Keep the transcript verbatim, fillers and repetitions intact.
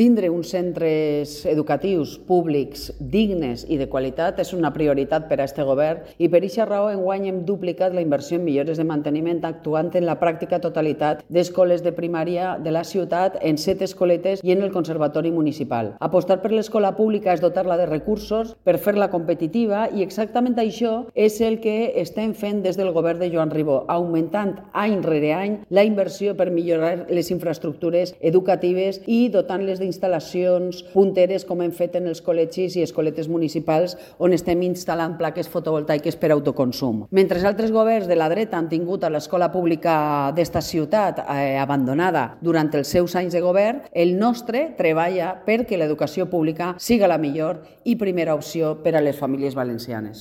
Tindre uns centres educatius públics dignes i de qualitat és una prioritat per a este govern i per aquesta raó enguany hem duplicat la inversió en millores de manteniment actuant en la pràctica totalitat d'escoles de primària de la ciutat, en set escoletes i en el Conservatori Municipal. Apostar per l'escola pública és dotar-la de recursos per fer-la competitiva i exactament això és el que estem fent des del govern de Joan Ribó, augmentant any rere any la inversió per millorar les infraestructures educatives i dotant-les de instal·lacions punteres com hem fet en els col·legis i escoletes municipals on estem instal·lant plaques fotovoltaiques per autoconsum. Mentre altres governs de la dreta han tingut a l'escola pública d'esta ciutat eh, abandonada durant els seus anys de govern, el nostre treballa perquè l'educació pública siga la millor i primera opció per a les famílies valencianes.